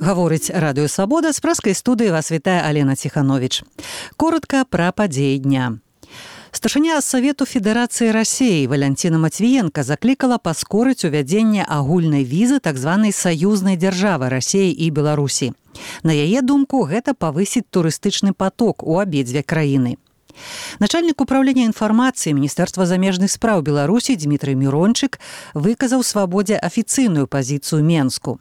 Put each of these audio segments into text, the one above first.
Гаворыць радыё «Свабода», з праскай студыі вас вітае Алена Ціхановіч. Коротка пра падзеі дня. Старшыня Савету Федэрацыі Расіі Валянціна Матвіенка заклікала паскорыць увядзенне агульнай візы так званай саюзнай дзяржавы Расіі і Беларусі. На яе думку, гэта павысіць турыстычны паток у абедзве краіны. Начальнік управлення інфармацыі Міністэрства замежных спраў Беларусі Дмітрый Мірончык выказаў «Свабодзе» афіцыйную пазіцыю Менску.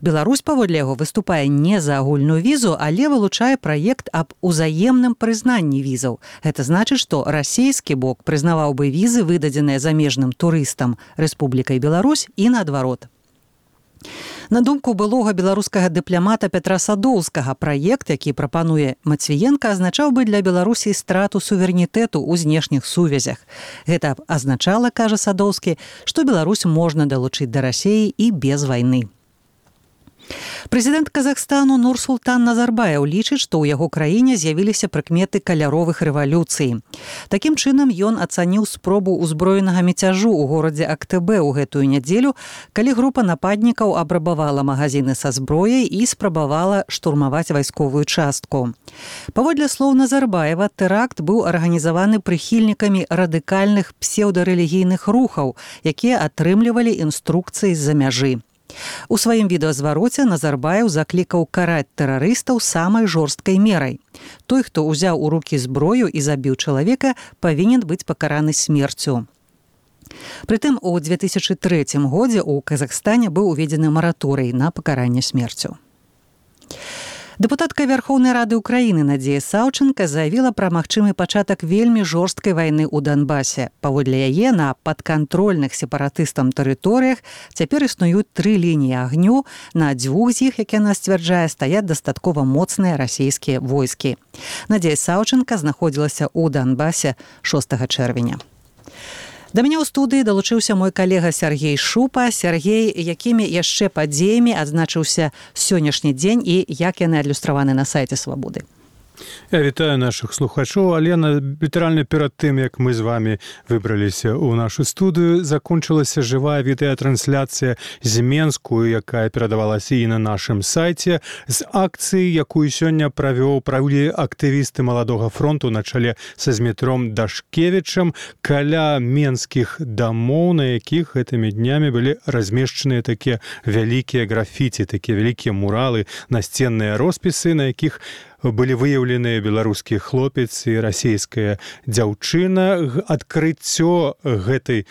Беларусь, паводле яго, выступае не за агульную візу, але вылучае праект аб узаемным прызнанні візаў. Гэта значыць, што расійскі бок прызнаваў бы візы, выдадзеныя замежным турыстам Рэспублікай Беларусь і наадварот. На думку былога беларускага дыпламата Пятра Садоўскага, праект, які прапануе Матвіенка, азначаў бы для Беларусі страту суверэнітэту ў знешніх сувязях. Гэта азначала, кажа Садоўскі, што Беларусь можна далучыць да Расіі і без вайны. Прэзідэнт Казахстану Нурсултан Назарбаев лічыць, што ў яго краіне з'явіліся прыкметы каляровых рэвалюцый. Такім чынам, ён ацаніў спробу ўзброенага мяцяжу ў горадзе Актыбе ў гэтую нядзелю, калі група нападнікаў абрабавала магазіны са зброяй і спрабавала штурмаваць вайсковую частку. Паводле слоў Назарбаева, тэракт быў арганізаваны прыхільнікамі радыкальных псеўдарэлігійных рухаў, якія атрымлівалі інструкцыі з-за мяжы. У сваім відэазвароце Назарбаев заклікаў караць тэрарыстаў самай жорсткай мерай. Той, хто ўзяў у рукі зброю і забіў чалавека, павінен быць пакараны смерцю. Прытым, у 2003 годзе ў Казахстане быў уведзены мараторый на пакаранне смерцю. Дэпутатка Верхоўнай Рады Украіны Надзея Саўченка заявіла пра магчымы пачатак вельмі жорсткай вайны ў Донбасе. Паводле яе, на падкантрольных сепаратыстам тэрыторыях цяпер існуюць 3 лініі агню, на 2 з іх, як яна сцвярджае, стаяць дастаткова моцныя расійскія войскі. Надзея Саўченка знаходзілася ў Донбасе 6 чэрвеня. Да мяне ў студыі далучыўся мой калега Сергей Шупа. Сергей, якімі яшчэ падзеямі адзначыўся сённяшні дзень і як яны адлюстраваны на сайце «Свабоды»? Я вітаю наших слухачоў. Алена, літаральна перад тым, як мы з вами выбраліся ў нашу студыю, закончылася жывая відэатрансляцыя з Менску, якая перадавалася і на нашым сайце, з акцыі, якую сёння правілі актывісты Маладога фронту на чале са Змітром Дашкевічам каля менскіх дамоў, на якіх гэтымі днямі былі размешчаныя такія вялікія графіці, такія вялікія муралы, насценныя роспісы, на якіх былі выяўленыя беларускі хлопец і расійская дзяўчына. Адкрыццё гэтай,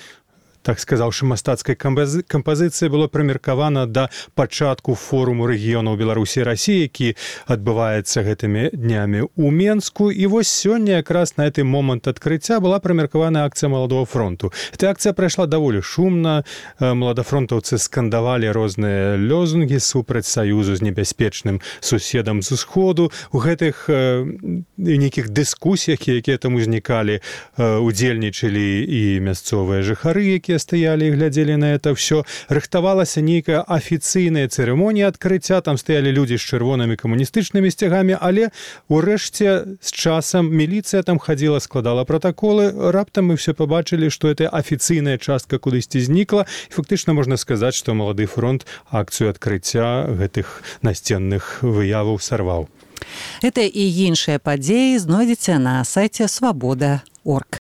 так сказаўшы, мастацкай кампазіцыі было прымеркавана да пачатку форуму рэгіёнаў Беларусі і Расіі, які адбываецца гэтымі днямі ў Менску. І вось сёння якраз на гэты момант адкрыцця была прымеркавана акцыя Маладога фронту. Эта акцыя прайшла даволі шумна. Маладафронтаўцы скандавалі розныя лозунгі супраць саюзу з небяспечным суседам з усходу. У гэтых нейкіх дыскусіях, якія там узнікалі, удзельнічалі і мясцовыя жыхары, якія стаялі і глядзелі на это ўсё. Рыхтавалася нейкая афіцыйная цырымонія адкрыцця, там стаялі людзі з чырвонымі камуністычнымі сцягамі, але урэшце з часам міліцыя там хадзіла, складала пратаколы. Раптам мы все пабачылі, што гэта афіцыйная частка кудысьці знікла. І фактычна можна сказаць, што Малады фронт акцыю адкрыцця гэтых насценных выяваў сарваў. Гэта і іншыя падзеі знойдзеце на сайце «Свабода.орг».